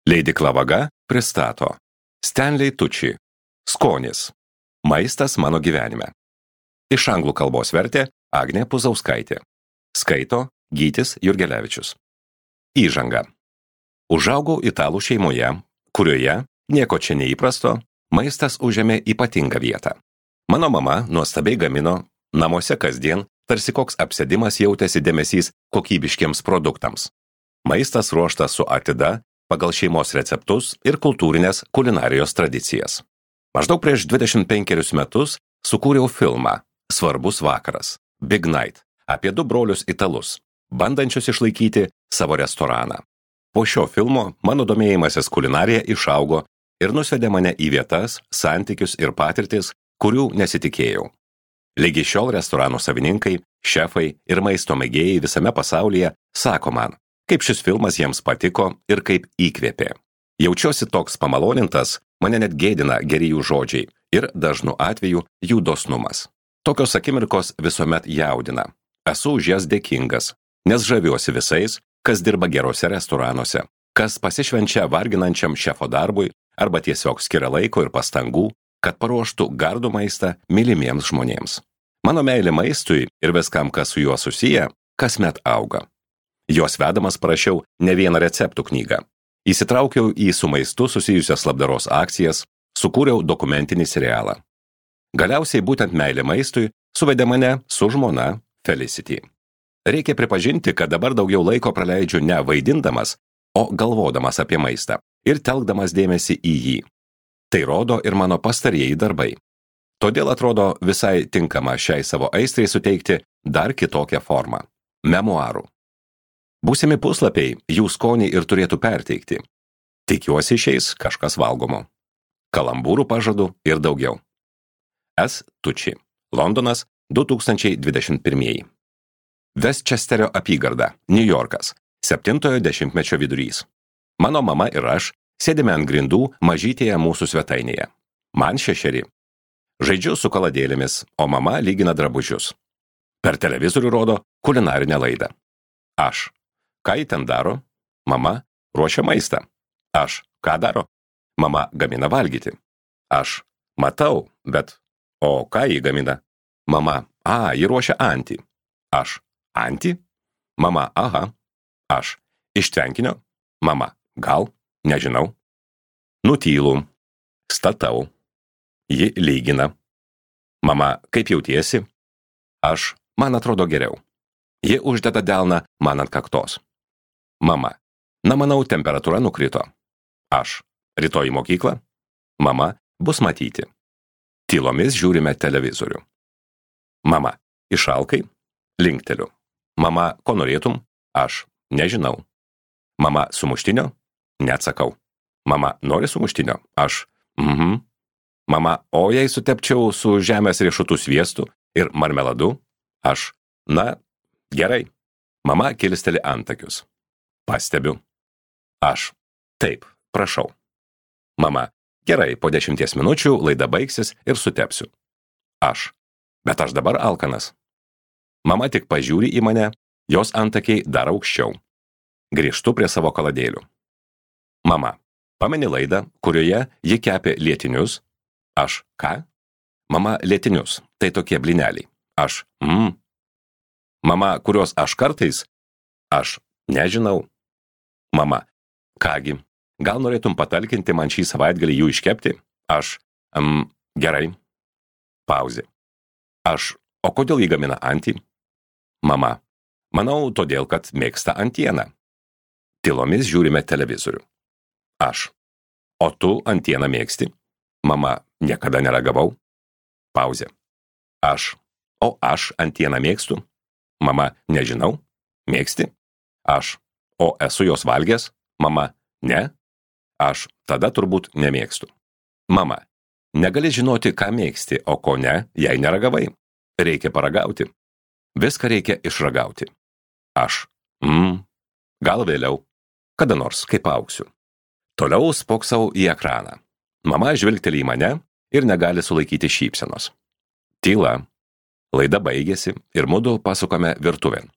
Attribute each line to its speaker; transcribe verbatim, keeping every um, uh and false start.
Speaker 1: Leidykla Vaga pristato Stanley Tucci Skonis. Maistas mano gyvenime. Iš anglų kalbos vertė Agnė Puzauskaitė. Skaito Gytis Jurgelevičius. Įžanga. Užaugau italų šeimoje, kurioje, nieko čia neįprasto, maistas užėmė ypatingą vietą. Mano mama nuostabiai gamino, namuose kasdien, tarsi koks apsėdimas jautėsi dėmesys kokybiškiems produktams. Maistas ruoštas su atida, pagal šeimos receptus ir kultūrinės kulinarijos tradicijas. Maždaug prieš dvidešimt penkerius metus sukūriau filmą Svarbus vakaras, Big Night, apie du brolius italus, bandančius išlaikyti savo restoraną. Po šio filmo mano domėjimasis kulinarija išaugo ir nusvedė mane į vietas, santykius ir patirtis, kurių nesitikėjau. Lygi šiol restoranų savininkai, šefai ir maisto mėgėjai visame pasaulyje sako man, kaip šis filmas jiems patiko ir kaip įkvėpė. Jaučiuosi toks pamalonintas, mane net gėdina geri jų žodžiai ir dažnu atveju jų dosnumas. Tokios akimirkos visuomet jaudina. Esu už jas dėkingas, nes žaviuosi visais, kas dirba gerose restoranuose, kas pasišvenčia varginančiam šefo darbui arba tiesiog skiria laiko ir pastangų, kad paruoštų gardų maistą mylimiems žmonėms. Mano meilė maistui ir viskam, kas su juo susiję, kasmet auga. Jos vedamas parašiau ne vieną receptų knygą. Įsitraukiau į su maistu susijusias labdaros akcijas, sukūriau dokumentinį serialą. Galiausiai būtent meilė maistui suvedė mane su žmona Felicity. Reikia pripažinti, kad dabar daugiau laiko praleidžiu ne vaidindamas, o galvodamas apie maistą ir telkdamas dėmesį į jį. Tai rodo ir mano pastarieji darbai. Todėl atrodo visai tinkama šiai savo aistrai suteikti dar kitokią formą – memuarų. Būsimi puslapiai jų skonį ir turėtų perteikti. Tikiuosi išeis kažkas valgomo. Kalambūrų pažadu ir daugiau. S. Tucci. Londonas, du tūkstančiai dvidešimt pirmieji. Westchesterio apygarda, Niujorkas. Septintojo dešimtmečio vidurys. Mano mama ir aš sėdime ant grindų mažytėje mūsų svetainėje. Man šešeri. Žaidžiu su kaladėlėmis, o mama lygina drabužius. Per televizorių rodo kulinarinę laidą. Aš. Ką ji ten daro? Mama ruošia maistą. Aš. Ką daro? Mama gamina valgyti. Aš. Matau, bet... O ką ji gamina? Mama. A, ji ruošia antį. Aš. Antį? Mama. Aha. Aš. Iš tvenkinio? Mama. Gal? Nežinau. Nutylu. Statau. Ji lygina. Mama. Kaip jautiesi? Aš. Man atrodo geriau. Ji uždeda delną man ant kaktos. Mama. Na, manau, temperatūra nukrito. Aš. Rytoj į mokyklą? Mama. Bus matyti. Tylomis žiūrime televizorių. Mama. Išalkai? Linkteliu. Mama. Ko norėtum? Aš. Nežinau. Mama. Sumuštinio? Neatsakau. Mama. Nori sumuštinio? Aš. Mhm. Mama. O jei sutepčiau su žemės riešutų sviestu ir marmeladu? Aš. Na, gerai. Mama kilsteli antakius. Pastebiu. Aš. Taip, prašau. Mama. Gerai, po dešimties minučių laida baigsis ir sutepsiu. Aš. Bet aš dabar alkanas. Mama tik pažiūri į mane, jos antakiai dar aukščiau. Grįžtu prie savo kaladėlių. Mama. Pameni laidą, kurioje ji kepė lietinius? Aš. Ką? Mama. Lietinius. Tai tokie blineliai. Aš. Mm. Mama, kurios aš kartais? Aš. Nežinau. Mama. Kągi, gal norėtum patalkinti man šį savaitgalį jų iškepti? Aš. Um, gerai. Pauzė. Aš. O kodėl jį gamina antį? Mama. Manau, todėl, kad mėgsta antieną. Tylomis žiūrime televizorių. Aš. O tu antieną mėgsti? Mama. Niekada neragavau. Pauzė. Aš. O aš antieną mėgstu? Mama. Nežinau. Mėgsti? Aš. O esu jos valgęs? Mama. Ne? Aš. Tada turbūt nemėgstu. Mama. Negali žinoti, ką mėgsti, o ko ne, jei neragavai. Reikia paragauti. Viską reikia išragauti. Aš. Mm. Gal vėliau. Kada nors, kaip auksiu. Toliau spoksau į ekraną. Mama žvilgteli į mane ir negali sulaikyti šypsenos. Tyla. Laida baigėsi ir mudu pasukame virtuvėn.